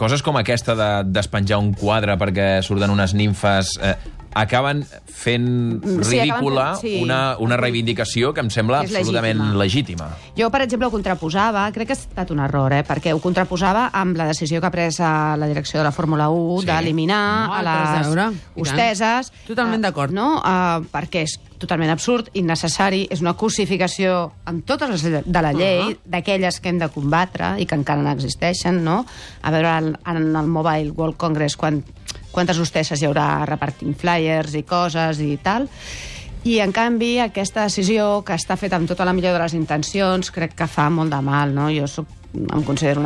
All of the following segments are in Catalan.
coses com aquesta de despenjar un quadre perquè surten unes nimfes acaben fent ridícula una reivindicació que em sembla absolutament legítima. Jo, per exemple, ho contraposava, crec que ha estat un error, perquè ho contraposava amb la decisió que ha pres la direcció de la Fórmula 1 d'eliminar a les hosteses. Totalment d'acord. Perquè és totalment absurd, innecessari, és una cosificació amb totes les de la llei, d'aquelles que hem de combatre i que encara no existeixen, no? A veure, en el Mobile World Congress, quantes hostesses hi haurà repartint flyers i coses i tal. I, en canvi, aquesta decisió, que està feta amb tota la millor de les intencions, crec que fa molt de mal, no? Jo em considero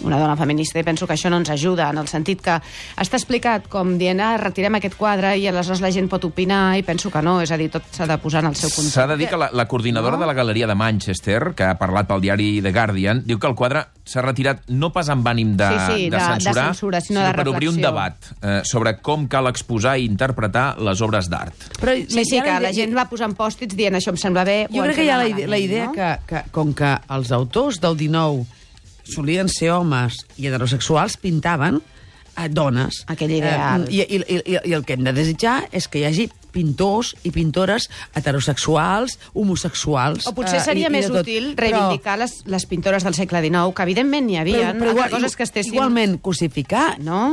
una dona feminista i penso que això no ens ajuda, en el sentit que està explicat com dient, retirem aquest quadre i aleshores la gent pot opinar, i penso que no, és a dir, tot s'ha de posar en el seu context. S'ha de dir que la coordinadora de la Galeria de Manchester, que ha parlat pel diari The Guardian, diu que el quadre s'ha retirat no pas amb ànim de censurar, sinó per obrir un debat sobre com cal exposar i interpretar les obres d'art. Sí, que la gent va posant pòstits dient això em sembla bé. Jo crec que hi ha la idea que com que els autors del 19 solien ser homes i heterosexuals, pintaven dones. Aquell ideal. I el que hem de desitjar és que hi hagi pintors i pintores heterosexuals, homosexuals... O potser seria més útil reivindicar les pintores del segle XIX, que evidentment n'hi havia, altres coses que estessin... Igualment, cosificar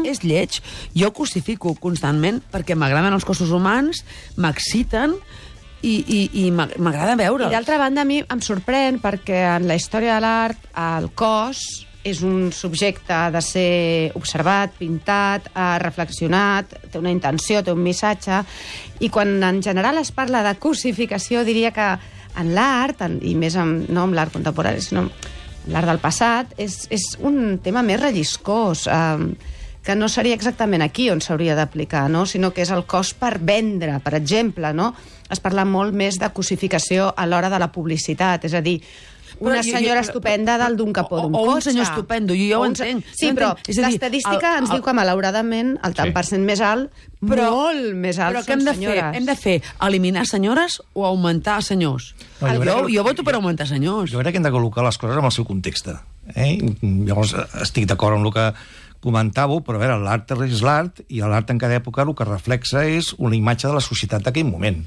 és lleig. Jo cosifico constantment perquè m'agraden els cossos humans, m'exciten, i m'agrada veure'ls. I d'altra banda, a mi em sorprèn perquè en la història de l'art el cos és un subjecte de ser observat, pintat, reflexionat, té una intenció, té un missatge, i quan en general es parla de cosificació, diria que en l'art, i més no amb l'art contemporani, sinó l'art del passat, és un tema més relliscós, que no seria exactament aquí on s'hauria d'aplicar, no? Sinó que és el cos per vendre, per exemple, no? Es parla molt més de cosificació a l'hora de la publicitat, és a dir, una senyora estupenda dalt d'un capó d'un cotxe. O un senyor estupendo, jo ho entenc. Sí, però l'estadística ens diu que, malauradament, el tant per cent més alt, molt més alt, són senyores. Hem de fer eliminar senyores o augmentar senyors? Jo voto per augmentar senyors. Jo crec que hem de col·locar les coses en el seu context. Llavors, estic d'acord amb el que comentàveu, però a veure, l'art és l'art, i l'art en cada època el que reflexa és una imatge de la societat d'aquell moment.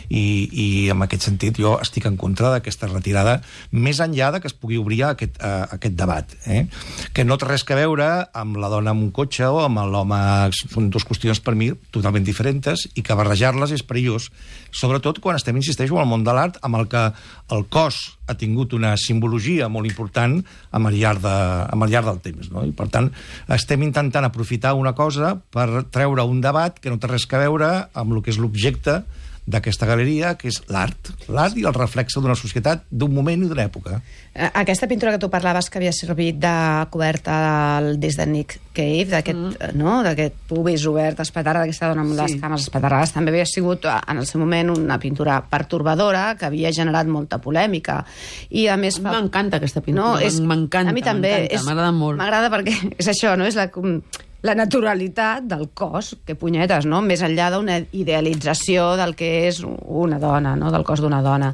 I en aquest sentit jo estic en contra d'aquesta retirada, més enllà de que es pugui obrir aquest debat. Que no té res a veure amb la dona amb un cotxe o amb l'home. Són dues qüestions per mi totalment diferents, i que barrejar-les és perillós, sobretot quan estem, insisteixo, al món de l'art, amb el que el cos ha tingut una simbologia molt important al llarg del temps, no? I per tant estem intentant aprofitar una cosa per treure un debat que no té res a veure amb el que és l'objecte d'aquesta galeria, que és l'art i el reflexe d'una societat, d'un moment i d'una època. Aquesta pintura que tu parlaves, que havia servit de coberta del disc de Nick Cave, d'aquest pubis obert, espaterrat, d'aquesta dona amb les cames espaterrades, també havia sigut en el seu moment una pintura pertorbadora que havia generat molta polèmica. I a més... M'encanta aquesta pintura, m'encanta. A mi també. M'agrada molt. M'agrada perquè és això, no? És la naturalitat del cos, que punyetes, no? Més enllà d'una idealització del que és una dona, no? Del cos d'una dona.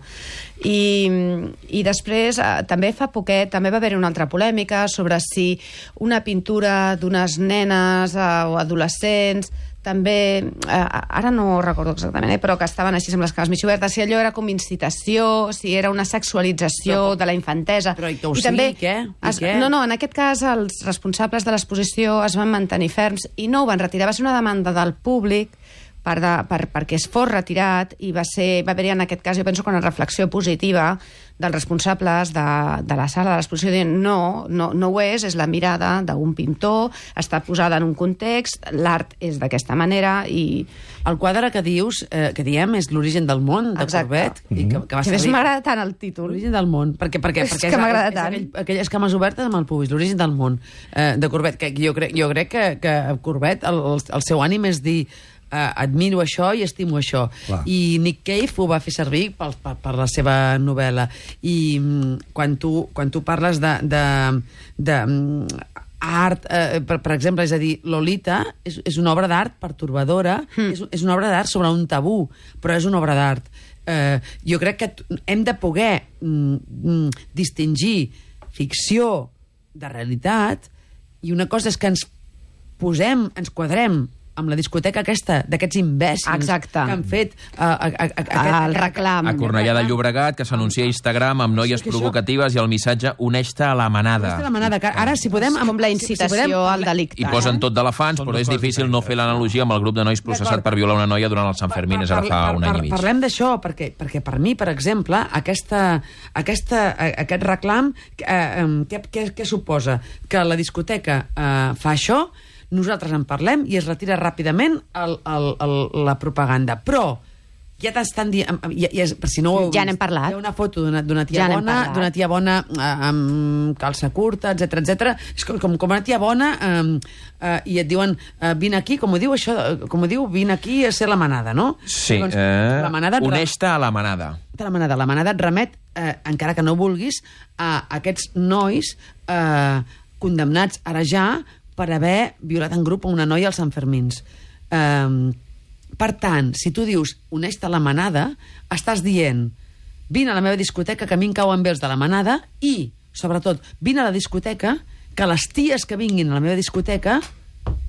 I després, també fa poquet, també va haver una altra polèmica sobre si una pintura d'unes nenes o adolescents, també, ara no recordo exactament, però que estaven així amb les cames mig obertes, si allò era com incitació, si era una sexualització de la infantesa. Però i que ho sigui, què? No, en aquest cas els responsables de l'exposició es van mantenir ferms i no ho van retirar. Va ser una demanda del públic perquè es fos retirat, i va haver-hi en aquest cas, jo penso que una reflexió positiva dels responsables de la sala de l'exposició dient no ho és la mirada d'un pintor, està posada en un context, l'art és d'aquesta manera. I el quadre que dius, que diem, és L'origen del món, de Courbet. Que més m'agrada tant el títol. L'origen del món, perquè és que m'agrada tant. Aquelles cames obertes amb el pubis, L'origen del món, de Courbet, que jo crec que Courbet, el seu ànim és dir admiro això i estimo això. I Nick Cave ho va fer servir per la seva novel·la. I quan tu parles de art, per exemple, és a dir, Lolita és una obra d'art pertorbadora, és una obra d'art sobre un tabú, però és una obra d'art. Jo crec que hem de poder distingir ficció de realitat I una cosa és que ens quadrem amb la discoteca aquesta, d'aquests imbècils que han fet el reclam. A Cornellà de Llobregat, que s'anuncia a Instagram amb noies provocatives i el missatge uneix-te a la manada. Uneix-te a la manada, que ara si podem... Com la incitació al delicte. I posen tot d'elefants, però és difícil no fer l'analogia amb el grup de nois processat per violar una noia durant el Sant Fermín, ara fa un any i mig. Parlem d'això, perquè per mi, per exemple, aquest reclam, què suposa? Que la discoteca fa això, nosaltres en parlem i es retira ràpidament la propaganda. Però ja t'estan dient... Per si no ho heu vist, ja n'hem parlat. hi ha una foto d'una tia bona amb calça curta, etc. És com una tia bona i et diuen vine aquí, com ho diu, vine aquí a ser la manada, no? Sí, uneix-te a la manada. La manada et remet, encara que no vulguis, a aquests nois condemnats ara ja per haver violat en grup una noia als Sant Fermins. Per tant, si tu dius uneix-te a la manada, estàs dient vine a la meva discoteca, que a mi em cauen bé els de la manada, i, sobretot, vine a la discoteca, que les ties que vinguin a la meva discoteca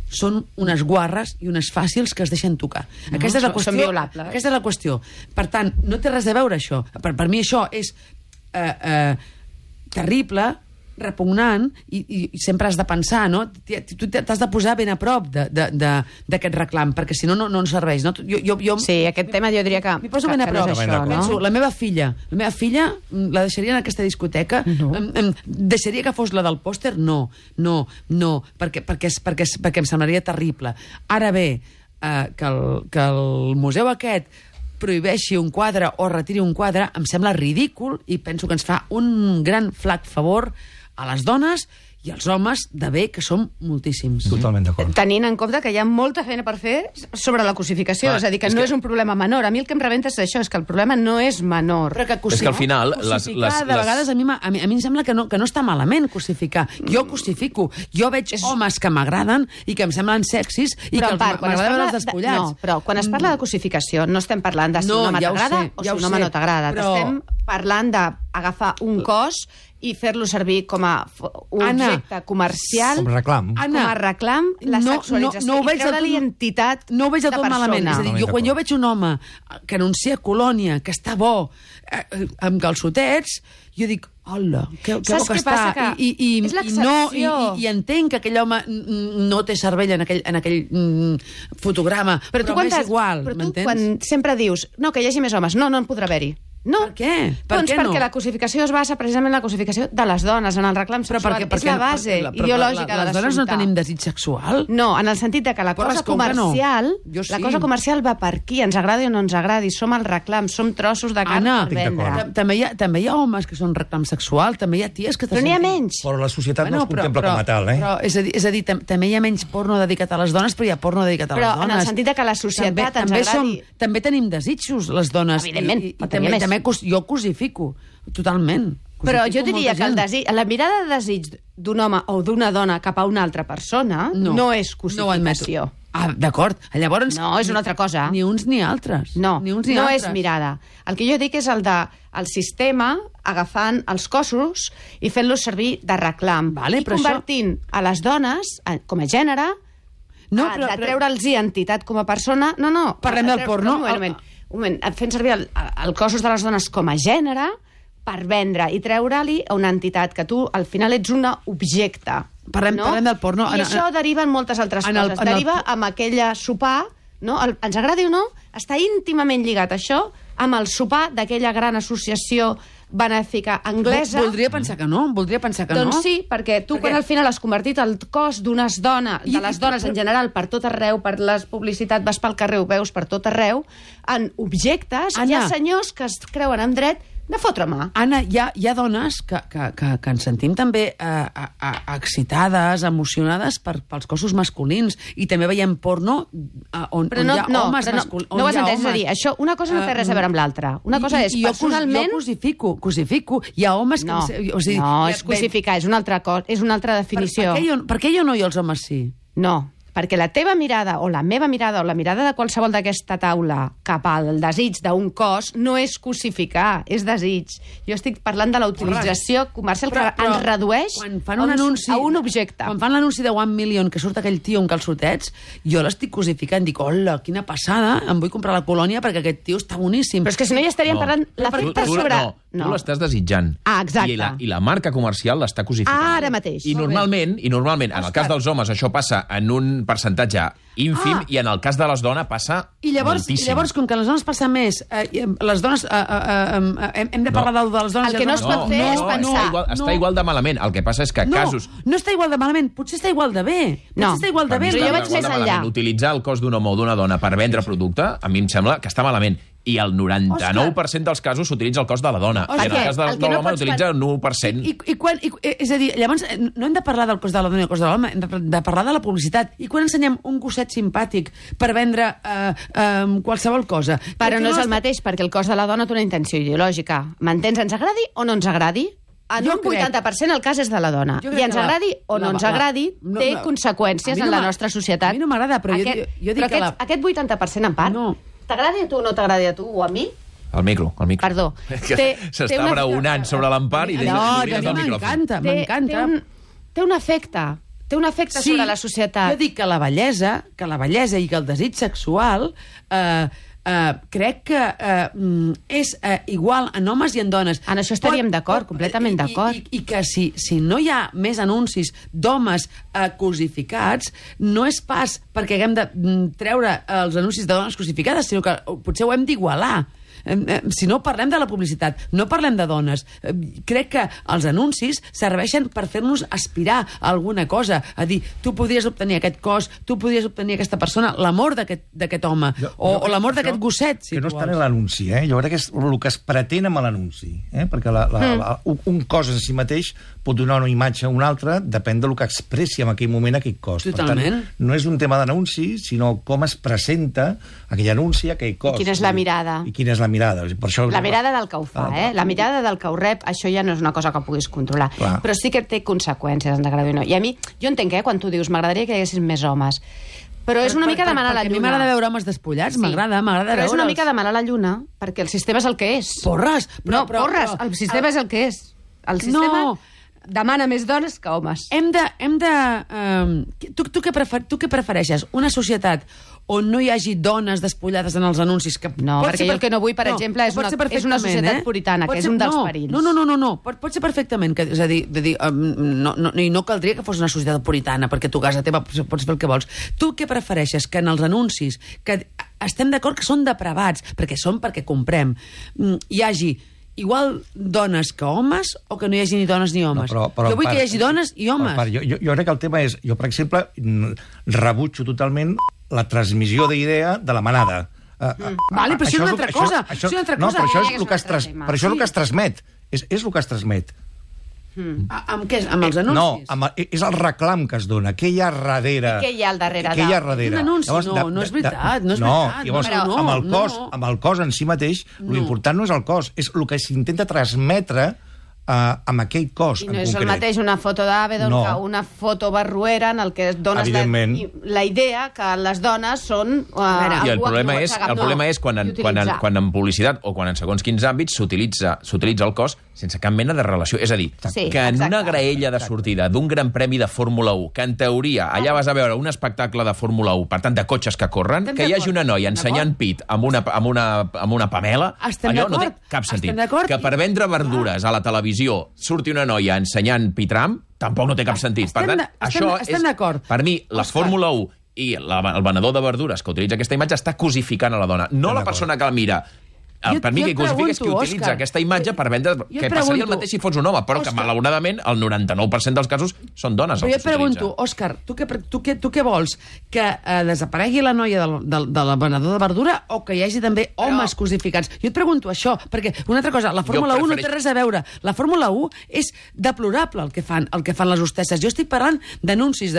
són unes guarres i unes fàcils que es deixen tocar. Aquesta és la qüestió. Són violables. Aquesta és la qüestió. Per tant, no té res a veure això. Per mi això és terrible, repugnant, i sempre has de pensar, no? Tu t'has de posar ben a prop d'aquest reclam, perquè si no, no ens serveix, no? Sí, aquest tema jo diria que... M'hi poso ben a prop. No és això, no? Penso, la meva filla la deixaria en aquesta discoteca? Deixaria que fos la del pòster? No, perquè em semblaria terrible. Ara bé, que el museu aquest prohibeixi un quadre o retiri un quadre, em sembla ridícul, i penso que ens fa un gran flac favor a les dones i als homes de bé, que som moltíssims. Totalment d'acord. Tenint en compte que hi ha molta feina per fer sobre la cosificació, és a dir, que no és un problema menor. A mi el que em rebenta és això, és que el problema no és menor. Però que és que al final... Cosificar, de vegades, a mi em sembla que no està malament cosificar. Jo cosifico. Jo veig homes que m'agraden i que em semblen sexis i que m'agrada veure els despullats. No, però quan es parla de cosificació no estem parlant de si un home t'agrada o si un home no t'agrada. Estem parlant d'agafar un cos i fer-lo servir com a un objecte comercial, com reclam. Com a reclam, la sexualització, i treure-li entitat de persona. No ho veig del tot malament. És a dir, quan jo veig un home que anuncia Colònia, que està bo, amb calçotets, jo dic, hola, que bo que està. I entenc que aquell home no té cervell en aquell fotograma, però m'és igual, m'entens? Però tu quan sempre dius, no, que hi hagi més homes, no en podrà haver-hi. No. Per què? Perquè la cosificació es basa precisament en la cosificació de les dones, en el reclam sexual. És la base ideològica de l'assumpte. Les dones no tenim desig sexual? No, en el sentit de que la cosa comercial va per aquí, ens agradi o no ens agradi, som el reclam, som trossos de carn per vendre. També hi ha homes que són reclam sexual, també hi ha ties que... Però n'hi ha menys. Però la societat no es contempla com a tal, eh? És a dir, també hi ha menys porno dedicat a les dones, però hi ha porno dedicat a les dones. Però en el sentit que la societat ens agradi... També tenim desitjos, les dones. Evidentment, jo cosifico, totalment. Però jo diria que la mirada de desig d'un home o d'una dona cap a una altra persona no és cosificació. D'acord. Llavors... No, és una altra cosa. Ni uns ni altres. No és mirada. El que jo dic és el sistema agafant els cossos i fent-los servir de reclam. I convertint a les dones com a gènere, de treure'ls identitat com a persona... No. Parlem del porno. Un moment, fent servir els cossos de les dones com a gènere per vendre i treure-li una entitat que tu al final ets un objecte. Parlem del porno. I això deriva en moltes altres coses. Deriva amb aquella sopar, no? Ens agradi o no, està íntimament lligat això amb el sopar d'aquella gran associació benèfica anglesa. Voldria pensar que no. Doncs sí, perquè tu quan al final has convertit el cos d'unes dones, de les dones en general, per tot arreu, per la publicitat, vas pel carrer, ho veus per tot arreu, en objectes, hi ha senyors que es creuen en dret de fotre mà. Anna, hi ha dones que ens sentim també excitades, emocionades pels cossos masculins, i també veiem porno on hi ha homes masculins. No ho has entès, és a dir, això, una cosa no té res a veure amb l'altra. Una cosa és, personalment... Jo cosifico. Hi ha homes que... No, és cosificar, és una altra definició. Per què jo no i els homes sí? No, perquè la teva mirada, o la meva mirada, o la mirada de qualsevol d'aquesta taula cap al desig d'un cos no és cosificar, és desig. Jo estic parlant de la utilització comercial que ens redueix a un objecte. Quan fan l'anunci de 1 Million, que surt aquell tio amb calçotets, jo l'estic cosificant, dic, hola, quina passada, em vull comprar la colònia perquè aquest tio està boníssim. Però és que si no ja estaríem parlant l'efecte sobre... No, tu l'estàs desitjant. Exacte. I la marca comercial l'està cosificant. Ara mateix. I normalment, en el cas dels homes, això passa en un percentatge ínfim, i en el cas de les dones passa moltíssim. I llavors, com que les dones passa més, les dones... hem de parlar de les dones... El que no es pot fer és pensar... Està igual de malament. El que passa és que casos... No està igual de malament, potser està igual de bé. No, però jo vaig més enllà. Utilitzar el cos d'un home o d'una dona per vendre producte, a mi em sembla que està malament. I el 99% dels casos s'utilitza el cos de la dona. I en el cas de l'home s'utilitza el 1%. És a dir, llavors no hem de parlar del cos de la dona i el cos de l'home, hem de parlar de la publicitat. I quan ensenyem un gosset simpàtic per vendre qualsevol cosa? Però no és el mateix, perquè el cos de la dona té una intenció ideològica. M'entens? Ens agradi o no ens agradi? En un 80% el cas és de la dona. I ens agradi o no ens agradi, té conseqüències en la nostra societat. A mi no m'agrada, però jo dic que... Aquest 80% en part, t'agradi a tu o no t'agradi a tu, o a mi? El micro. Perdó. S'està braonant sobre l'Empar i m'encanta. Té un efecte sobre la societat. Jo dic que la bellesa i que el desig sexual crec que és igual en homes i en dones. En això estaríem d'acord, completament d'acord. I que si no hi ha més anuncis d'homes cosificats, no és pas perquè haguem de treure els anuncis de dones cosificades, sinó que potser ho hem d'igualar. Si no parlem de la publicitat, no parlem de dones. Crec que els anuncis serveixen per fer-nos aspirar a alguna cosa, a dir, tu podries obtenir aquest cos, tu podries obtenir aquesta persona, l'amor d'aquest home, o l'amor d'aquest gosset, si que no està en l'anunci, jo crec que és el que es pretén amb l'anunci, perquè un cos en si mateix pot donar una imatge a una altra, depèn del que expressi en aquell moment aquell cos. Totalment. Per tant, no és un tema d'anunci, sinó com es presenta aquell anunci, aquell cos. I quina és la mirada. mirada. Per això... La mirada del que ho fa, La mirada del que ho rep, això ja no és una cosa que puguis controlar. Clar. Però sí que té conseqüències, ens agrada o no. I a mi, jo entenc, quan tu dius, m'agradaria que hi haguessin més homes. Però és una mica demanar la lluna. A mi m'agrada veure homes despullats, m'agrada veure'ls. Però és una mica demanar la lluna, perquè el sistema és el que és. Porres! Porres! El sistema és el que és. El sistema demana més dones que homes. Tu què prefereixes? Una societat on no hi hagi dones despullades en els anuncis? No, perquè jo el que no vull, per exemple, és una societat puritana, que és un dels perills. No. Pot ser perfectament. És a dir, no caldria que fos una societat puritana, perquè tu a casa teva pots fer el que vols. Tu què prefereixes? Que en els anuncis, que estem d'acord que són depravats, perquè comprem, hi hagi igual dones que homes o que no hi hagi ni dones ni homes? Jo vull que hi hagi dones i homes. Jo crec que el tema és... Jo, per exemple, rebutjo totalment la transmissió d'idea de la manada. Vale, però això és una altra cosa. No, però això és el que es transmet. És el que es transmet. Amb què? Amb els anuncis? No, és el reclam que es dona. Què hi ha darrere? I què hi ha al darrere? Què hi ha darrere? Un anunci? No és veritat. Amb el cos en si mateix, l'important no és el cos, és el que s'intenta transmetre amb aquell cos en concret. I no és el mateix una foto d'Avedon que una foto barruera en el que dones la idea que les dones són... I el problema és quan en publicitat o quan en segons quins àmbits s'utilitza el cos sense cap mena de relació. És a dir, que en una graella de sortida d'un gran premi de Fórmula 1, que en teoria allà vas a veure un espectacle de Fórmula 1, per tant, de cotxes que corren, que hi hagi una noia ensenyant pit amb una Pamela, allò no té cap sentit. Que per vendre verdures a la televisió surti una noia ensenyant pitram, tampoc no té cap sentit. Per tant, això és, per mi, la Fórmula 1 i el venedor de verdures que utilitza aquesta imatge està cosificant a la dona, no la persona que la mira. Per mi, que cosifica és que utilitza aquesta imatge per vendre... Que passaria el mateix si fos un home, però que, malauradament, el 99% dels casos són dones. Però jo et pregunto, Òscar, tu què vols? Que desaparegui la noia de la venedor de verdura o que hi hagi també homes cosificats? Jo et pregunto això, perquè una altra cosa, la Fórmula 1 no té res a veure. La Fórmula 1 és deplorable el que fan les hostesses. Jo estic parlant d'anuncis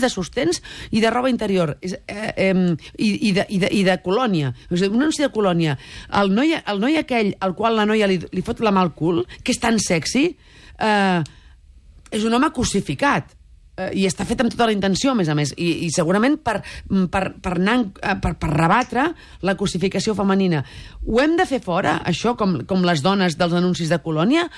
de sostens i de roba interior i de colònia. Un anunci de colònia. El noi aquell al qual la noia li fot la mà al cul, que és tan sexy, és un home cosificat. i està fet amb tota la intenció, a més, i segurament per rebatre la cosificació femenina. Ho hem de fer fora, això, com les dones dels anuncis de Colònia,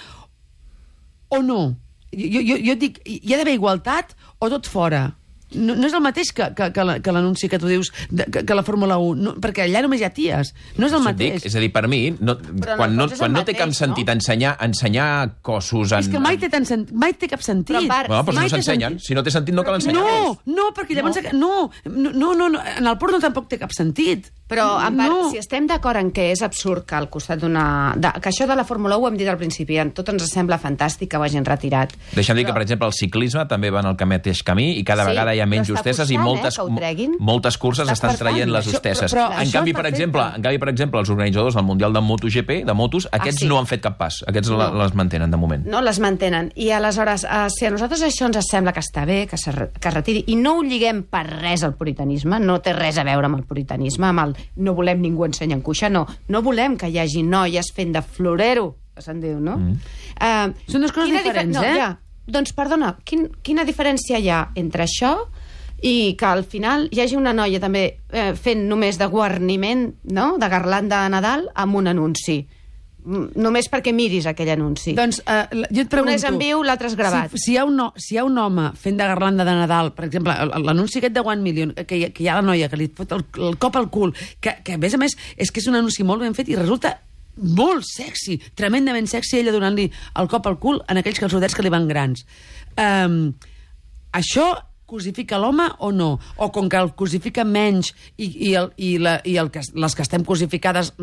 o no? Jo dic, hi ha d'haver igualtat o tot fora? No és el mateix que l'anunci que tu dius que la Fórmula 1, perquè allà només hi ha ties. No és el mateix. És a dir, per mi, quan no té cap sentit ensenyar cossos... És que mai té cap sentit. Però no s'ensenyen. Si no té sentit, no cal ensenyar. No, perquè llavors... No, en el porno tampoc té cap sentit. Però, si estem d'acord en que és absurd que al costat que això de la Fórmula 1 ho hem dit al principi, a tots ens sembla fantàstic que ho hagin retirat. Deixa'm dir que, per exemple, el ciclisme també va en el mateix camí i cada vegada hi ha menys hostesses i moltes curses estan traient les hostesses. En canvi, per exemple, els organitzadors del Mundial de MotoGP, de motos, aquests no han fet cap pas. Aquests les mantenen, de moment. No, les mantenen. I aleshores, si a nosaltres això ens sembla que està bé, que es retiri, i no ho lliguem per res al puritanisme, no té res a veure amb el puritanisme, amb el no volem ningú ensenyant cuixa, no volem que hi hagi noies fent de florero, que se'n diu, no? Són dues coses diferents, eh? Doncs, perdona, quina diferència hi ha entre això i que al final hi hagi una noia també fent només de guarniment, no?, de garlanda de Nadal amb un anunci? Només perquè miris aquell anunci. Doncs jo et pregunto... Un és en viu, l'altre és gravat. Si hi ha un home fent de garlanda de Nadal, per exemple, l'anunci aquest de 1 Million, que hi ha la noia que li fot el cop al cul, que a més és que és un anunci molt ben fet i resulta molt sexy, tremendament sexy, ella donant-li el cop al cul en aquells calçotets que li van grans. Això cosifica l'home o no? O com que el cosifica menys i les que estem cosificades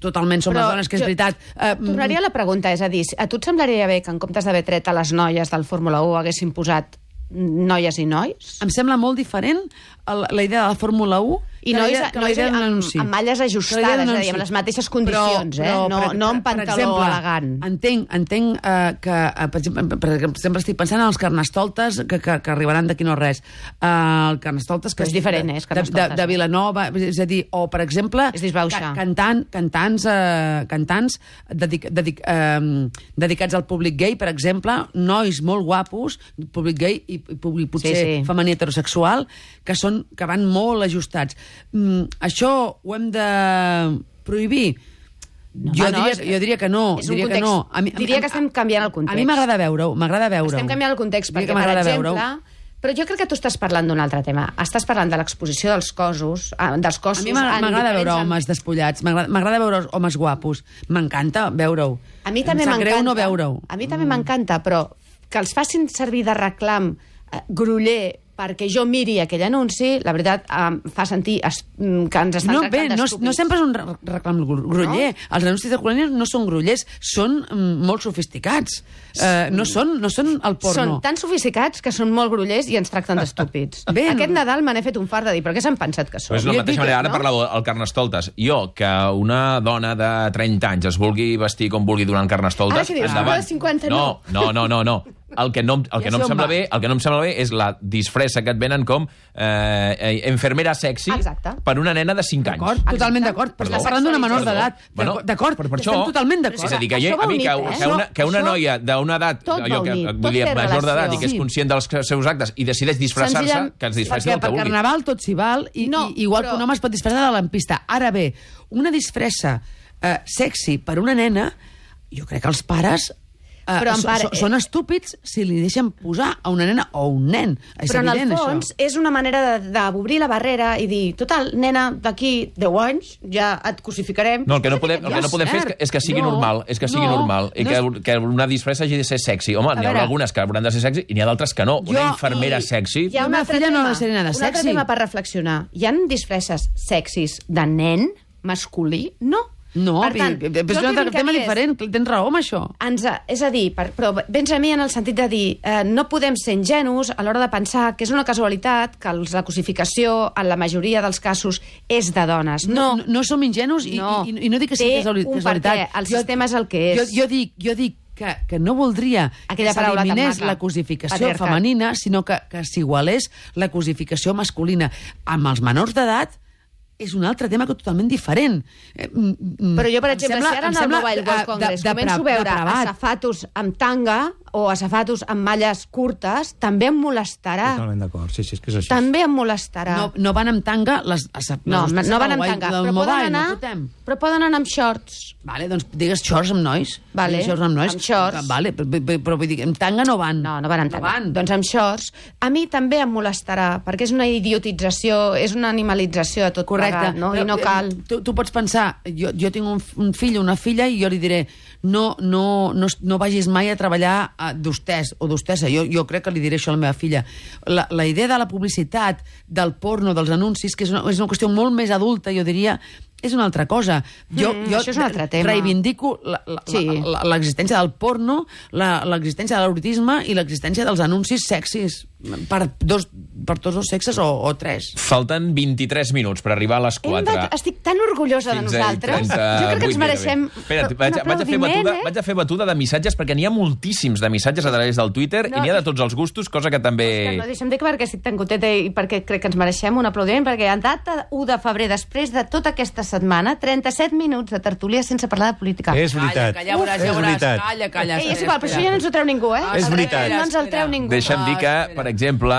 totalment som les dones, que és veritat... Tornaria a la pregunta, és a dir, a tu et semblaria bé que en comptes d'haver tret a les noies del Fórmula 1 haguessin posat noies i nois? Em sembla molt diferent la idea de la Fórmula 1 i nois amb malles ajustades, és a dir, amb les mateixes condicions, no amb pantaló elegant. Entenc que, per exemple, estic pensant en els carnestoltes que arribaran d'aquí no res. El carnestoltes que és diferent, és carnestoltes. De Vilanova, és a dir, o, per exemple, cantants dedicats al públic gay, per exemple, nois molt guapos, públic gay i públic potser femení heterosexual, que van molt ajustats. Això ho hem de prohibir? Jo diria que no. Diria que estem canviant el context. A mi m'agrada veure-ho. Estem canviant el context perquè, per exemple... Però jo crec que tu estàs parlant d'un altre tema. Estàs parlant de l'exposició dels cossos. A mi m'agrada veure homes despullats, m'agrada veure homes guapos. M'encanta veure-ho. A mi també m'encanta. Em sap greu no veure-ho. A mi també m'encanta, però que els facin servir de reclam groller perquè jo miri aquell anunci, la veritat, em fa sentir que ens estan tractant d'estúpids. No sempre és un reclam groller. No? Els anuncis de Colònia no són grollers, són molt sofisticats. No són el porno. Són tan sofisticats que són molt grollers i ens tracten d'estúpids. Aquest Nadal me n'he fet un fart de dir, però què s'han pensat que són? Pues de la mateixa manera, ara parlava del Carnestoltes. Jo, que una dona de 30 anys es vulgui vestir com vulgui durant Carnestoltes... Ara que dius, una de 50 no. No. El que no em sembla bé és la disfressa que et venen com enfermera sexy per una nena de 5 anys. Totalment d'acord, però estàs parlant d'una menor d'edat. D'acord, estem totalment d'acord. És a dir, que una noia d'una edat, major d'edat i que és conscient dels seus actes i decideix disfressar-se, que es disfressi del que vulgui. Per Carnaval tot s'hi val, igual que un home es pot disfressar de lampista. Ara bé, una disfressa sexy per una nena, jo crec que els pares... són estúpids si li deixen posar a una nena o un nen. Però en el fons és una manera d'obrir la barrera i dir, total, nena, d'aquí 10 anys ja et cosificarem. No, el que no podem fer és que sigui normal, i que una disfressa hagi de ser sexy. Home, n'hi haurà algunes que hauran de ser sexy i n'hi ha d'altres que no. Una infermera sexy... Hi ha una filla no ha de ser nena sexy. Un altre tema per reflexionar. Hi ha disfresses sexis de nen masculí? No. No, però és un altre tema diferent, tens raó amb això. És a dir, però vens a mi en el sentit de dir no podem ser ingenus a l'hora de pensar que és una casualitat que la cosificació en la majoria dels casos és de dones. No som ingenus i no dic que sigui casualitat. El sistema és el que és. Jo dic que no voldria que s'eliminés la cosificació femenina, sinó que s'igualés la cosificació masculina. Amb els menors d'edat és un altre tema totalment diferent. Però jo, per exemple, si ara en el Mobile World Congress començo a veure azafatos amb tanga, o a safatos amb malles curtes, també em molestarà. Totalment d'acord, sí, és que és així. També em molestarà. No van amb tanga no van amb tanga, però poden anar amb shorts. Vale, doncs digues shorts amb nois. Vale, amb shorts. Vale, però vull dir, amb tanga no van. No van amb tanga. Doncs amb shorts. A mi també em molestarà, perquè és una idiotització, és una animalització de tot plegat, no? I no cal. Tu pots pensar, jo tinc un fill o una filla i jo li diré no vagis mai a treballar d'hostès o d'hostessa. Jo crec que li diré això a la meva filla. La idea de la publicitat, del porno, dels anuncis, que és una qüestió molt més adulta, jo diria, és una altra cosa. Jo això és un altre tema. Reivindico l'existència del porno, l'existència de l'erotisme i l'existència dels anuncis sexis per tots dos sexes o tres. Falten 23 minuts per arribar a les 4. Estic tan orgullosa de nosaltres. Jo crec que ens mereixem vaig a fer batuda de missatges, perquè n'hi ha moltíssims de missatges a través del Twitter i n'hi ha de tots els gustos, cosa que també... No, deixa'm dir que perquè estic tan contenta i perquè crec que ens mereixem un aplaudiment, perquè en data 1 de febrer, després de tota aquesta setmana, 37 minuts de tertúlia sense parlar de política. És veritat. Ja veuràs. Calla. És igual, però això ja no ens ho treu ningú, És veritat. No ens el treu ningú. Deixa'm dir que, per exemple,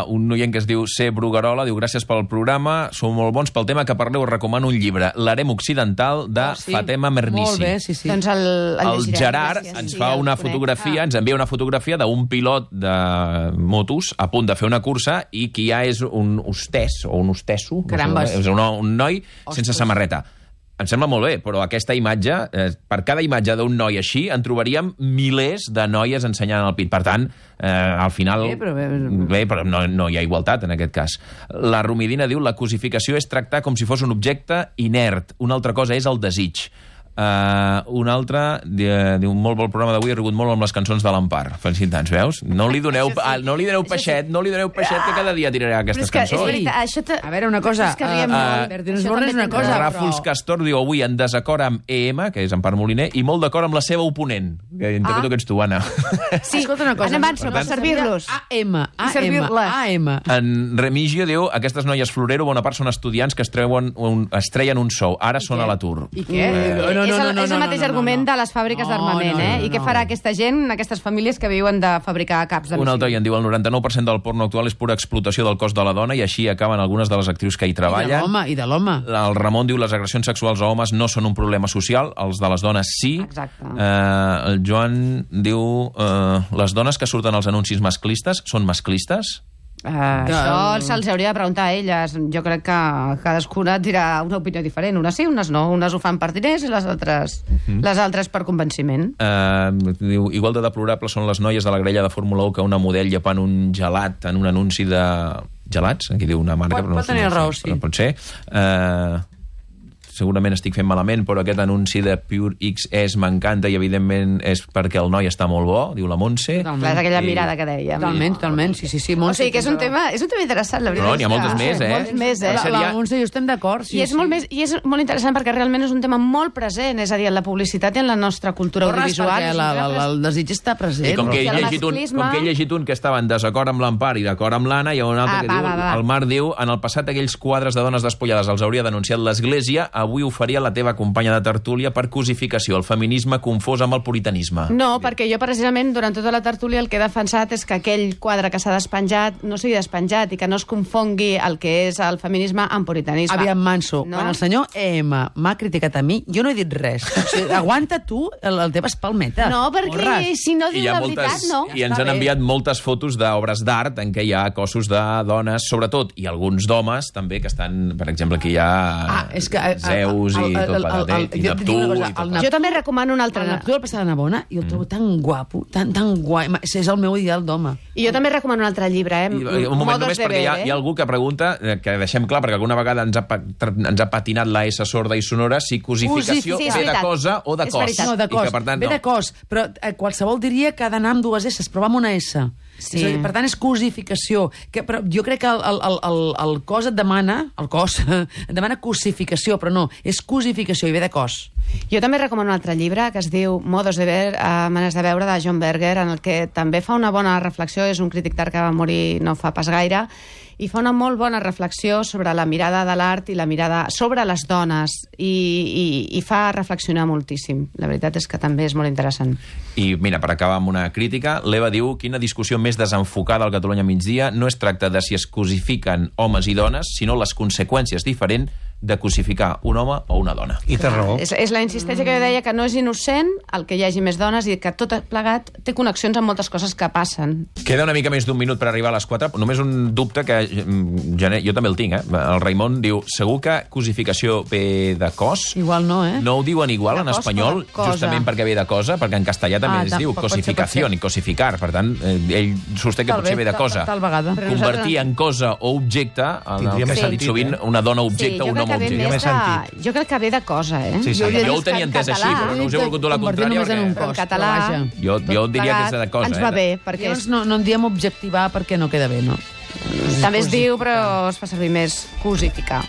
un oient que es diu C. Bruguerola diu: gràcies pel programa, sou molt bons pel tema que parleu, recomano un llibre, L'harem occidental, de Fatema Mernissi. Molt bé, sí. Doncs el Gerard ens fa una fotografia, ens envia una fotografia d'un pilot de motos a punt de fer una cursa i qui ja és un hostès o un hostesso, és un noi sense samarreta. Em sembla molt bé, però aquesta imatge, per cada imatge d'un noi així, en trobaríem milers de noies ensenyant el pit. Per tant, al final... Bé, però no hi ha igualtat en aquest cas. La Romidina diu: la cosificació és tractar com si fos un objecte inert. Una altra cosa és el desig. Un altre diu: molt bon programa d'avui, he rigut molt amb les cançons de l'Empar. Felicitats, veus? No li doneu peixet, que cada dia tiraré aquestes cançons. A veure, una cosa, Ràfols Castor diu: avui en desacord amb EM, que és Empar Moliner, i molt d'acord amb la seva oponent, que interpreto que ets tu, Anna. Sí, escolta una cosa, anem per servir-los. AM. En Remigio diu: aquestes noies Florero, bona part són estudiants que es treien un sou, ara són a l'atur. I què? És el mateix argument de les fàbriques d'armament, I què farà aquesta gent, aquestes famílies que viuen de fabricar caps de missil? Un altre en diu: el 99% del porno actual és pura explotació del cos de la dona i així acaben algunes de les actrius que hi treballen. I de l'home. El Ramon diu: les agressions sexuals a homes no són un problema social, els de les dones sí. Exacte. El Joan diu: les dones que surten als anuncis masclistes són masclistes? Això se'ls hauria de preguntar a elles. Jo crec que cadascuna dirà una opinió diferent. Unes sí, unes no. Unes ho fan per diners i les altres per convenciment. Diu: igual de deplorables són les noies de la grella de Fórmula 1 que una model llepant un gelat en un anunci de gelats. Aquí diu una marca, pot tenir raó, sí. Pot ser. Segurament estic fent malament, però aquest anunci de Pure XS m'encanta i evidentment és perquè el noi està molt bo, diu la Montse. Clar, és aquella mirada que dèiem. Totalment, sí, Montse. O sigui que és un tema interessant, la veritat. No, n'hi ha moltes més, Molts més, La Montse i jo estem d'acord. I és molt interessant perquè realment és un tema molt present, és a dir, en la publicitat i en la nostra cultura audiovisual. Perquè el desig està present. I com que he llegit un que estava en desacord amb l'Empar i d'acord amb l'Anna, hi ha un altre que diu, el Marc diu: en el passat aquells quadres de dones despullades els hauria denunciat l'Església, avui ho faria la teva companya de tertúlia per cosificació, el feminisme confós amb el puritanisme. No, perquè jo precisament durant tota la tertúlia el que he defensat és que aquell quadre que s'ha despenjat no sigui despenjat i que no es confongui el que és el feminisme amb puritanisme. Aviam, Manso, quan el senyor EM m'ha criticat a mi, jo no he dit res. O sigui, aguanta tu el teva espalmeta. No, perquè si no diu la veritat, no. I ens han enviat moltes fotos d'obres d'art en què hi ha cossos de dones, sobretot, i alguns d'homes també, que estan, per exemple, aquí hi ha Zeus i tot plegat, i Neptú i tot. Jo també recomano un altre. El Neptú del Passat de Navona, i el trobo tan guapo, tan guai. És el meu ideal d'home. I jo també recomano un altre llibre, Un moment només, perquè hi ha algú que pregunta, que deixem clar, perquè alguna vegada ens ha patinat la S sorda i sonora, si cosificació ve de cosa o de cos. No, de cos, ve de cos, però qualsevol diria que ha d'anar amb dues S, però va amb una S. Sí. Per tant, és cosificació. Però jo crec que el cos et demana, et demana cosificació, però no, és cosificació i ve de cos. Jo també recomano un altre llibre que es diu Modos de ver, maneres de veure, de John Berger, en el que també fa una bona reflexió, és un crític d'art que va morir no fa pas gaire, i fa una molt bona reflexió sobre la mirada de l'art i la mirada sobre les dones, i fa reflexionar moltíssim. La veritat és que també és molt interessant. I mira, per acabar amb una crítica, l'Eva diu: quina discussió més desenfocada al Catalunya migdia. No es tracta de si es cosifiquen homes i dones, sinó les conseqüències diferents de cosificar un home o una dona. I té raó. És la insistència que jo deia, que no és innocent el que hi hagi més dones i que tot plegat té connexions amb moltes coses que passen. Queda una mica més d'un minut per arribar a les 4. Només un dubte que jo també el tinc, El Raimon diu: segur que cosificació ve de cos? Igual no, No ho diuen igual en espanyol, justament perquè ve de cosa, perquè en castellà també es diu cosificació i cosificar. Per tant, ell sosté que potser ve de cosa. Tal vegada. Convertir en cosa o objecte, en el que s'ha dit sovint, una dona objecte o un home objecte. Jo crec que ve de cosa, Jo ho tenia entès així, però no us he volgut dur la contrària. En català... Jo diria que és de cosa. Ens va bé, perquè... No en diem objectivar perquè no queda bé, no? També es diu, però es fa servir més cosificar.